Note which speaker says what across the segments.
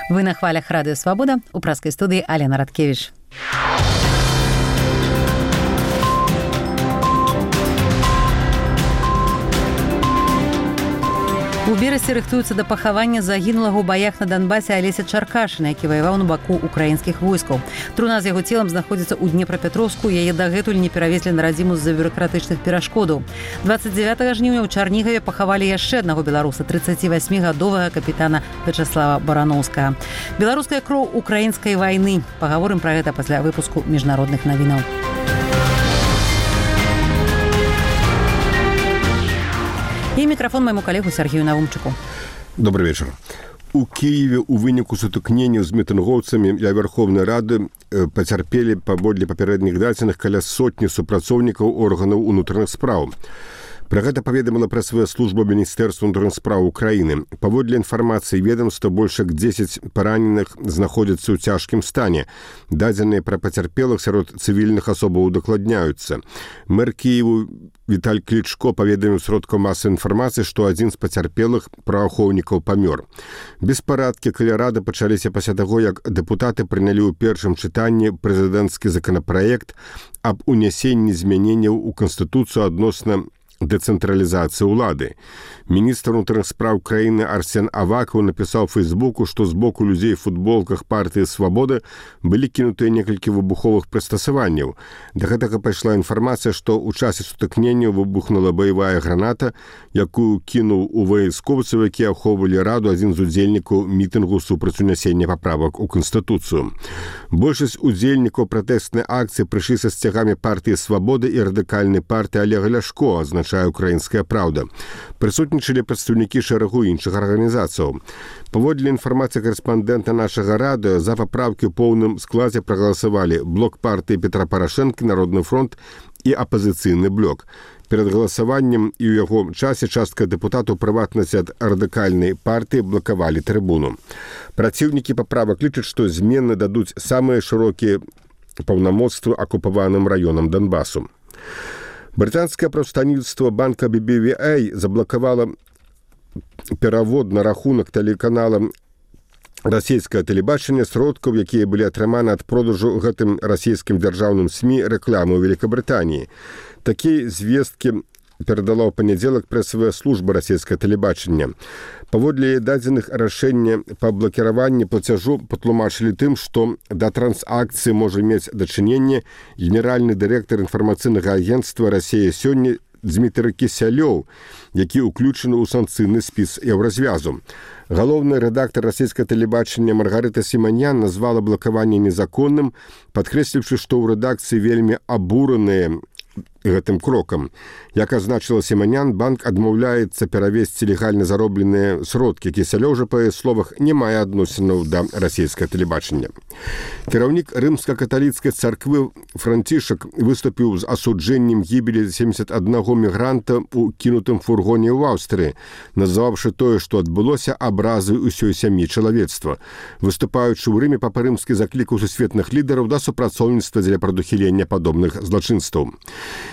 Speaker 1: Вы на хвалях Радио Свобода, у праскай студыі Алена Радкевіч. У Берасці рыхтуюцца да пахавання загінулага ў баях на Донбасе Алеся Чаркашына, які ваяваў на баку украінскіх войскаў. Труна з яго целам знаходзіцца ў Днепрапетровску, яе дагэтуль не перавезлі на радзіму з-за бюракратычных перашкодаў. 29 жніўня ў Чарнігаве пахавалі яшчэ аднаго беларуса, 38-гадовага капітана Вячаслава Бараноўскага. Беларуская кроў украінскай вайны. Пагаворым пра гэта пасля выпуску міжнародных навінаў. І мікрафон майму калегу Сергею Навумчыку.
Speaker 2: Добрый вечер. У Киеве у выніку сутыкнення з мітынгоўцамі ля Верховнай Рады пацярпелі паводле папярэдніх дадзеных каля сотні супрацоўнікаў органаў унутраных спраў. Пра гэта паведаміла прэсавая служба Міністэрства ўнутраных спраў Украіны. Паводле інфармацыі ведомства, больш як 10 параненых знаходзяцца ў цяжкім стане. Дадзеныя пра пацярпелых сярод цывільных асобаў удакладняюцца. Мэр Кіеву Віталь Клічко паведаміў сродкам масавай інфармацыі, што адзін з пацярпелых праваахоўнікаў памёр. Беспарадкі каля рады пачаліся пасля таго, як дэпутаты прынялі ў першым чытанні прэзідэнцкі законапраект аб унясенні змяненняў у Канстытуцыю адносна дэцэнтралізацыі ўлады. Міністр унутраных спраў краіны Арсен Авакаў напісаў у Фейсбуку, што з боку людзей у футболках партыі «Свабода» былі кінутыя некалькі выбуховых прыстасаванняў. Да гэтага пайшла інфармацыя, што ў часе сутыкнення выбухнула баявая граната, якую кінуў у вайскоўцаў, якія ахоўвалі раду, адзін з удзельнікаў мітынгу супраць унясення паправак у Канстытуцыю. Большасць удзельнікаў пратэснай акцыі прыйшлі са сцягамі партыі «Свабода» і радыкальнай партыі Олега Ляшко, азначае «Украінская праўда». Прысутнічалі прадстаўнікі шэрагу іншых арганізацыяў. Паводле інфармацыі карэспандэнта нашага радыё, за папраўкі ў поўным складзе прагаласавалі блок партыі Петра Парашэнкі, Народны фронт і апазіцыйны блок. Перад галасаваннем і ў яго часе частка дэпутатаў, прыватнасць ад радыкальнай партыі, блакавалі трыбуну. Праціўнікі паправак лічаць, што змены дадуць самыя шырокія паўнамоцтвы акупаваным раёнам Донбасу. Брытанскае прадстаўніцтва банка BBVA заблакавала перавод на рахунак тэлеканала расійскае тэлебачанне сродкаў, якія былі атрыманы ад продажу гэтым расійскім дзяржаўным СМІ рэкламы ў Великабрытаніі. Такія звесткі перадала ў панядзелак прэсавая служба расійскае тэлебачання. Паводле дадзеных рашэння па блакіраванні плацяжу патлумачылі тым, што да трансакцыі можа мець дачыненне генеральны дырэктар інфармацыйнага агенцтва «Расія сёння» Дмітрый Кісялёў, які ўключаны ў санкцыйны спіс еўразвязу. Галоўны рэдактар расійскага тэлебачання Маргарыта Сіманян назвала блакаванне незаконным, падкрэсліўшы, што ў рэдакцыі вельмі абураныя гэтым крокам. Як азначыла Сіманян, банк адмаўляецца перавесці легальна заробленыя сродкі. Кісялёў жа, па яе словах, не мае адносінаў да расійскага тэлебачання. Кіраўнік рымска-каталіцкай царквы Францішак выступіў з асуджэннем гібелі 71 мігранта ў кінутым фургоне ў Аўстрыі, назваўшы тое, што адбылося, абразы ўсёй сям'і чалавецтва. Выступаючы ў Рыме, папа рымскі заклікаў сусветных лідараў да супрацоўніцтва дзеля прадухілення падобных злачынстваў.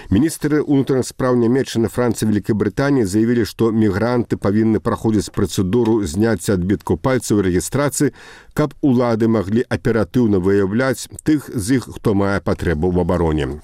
Speaker 2: Міністры ўнутраных спраў Нямецчыны, Францыі, Великай Брытаніі заявілі, што мігранты павінны праходзіць працэдуру зняцця адбіткаў пальцаў і рэгістрацыі, каб улады маглі аператыўна выяўляць тых з іх, хто мае патрэбу ў абароне.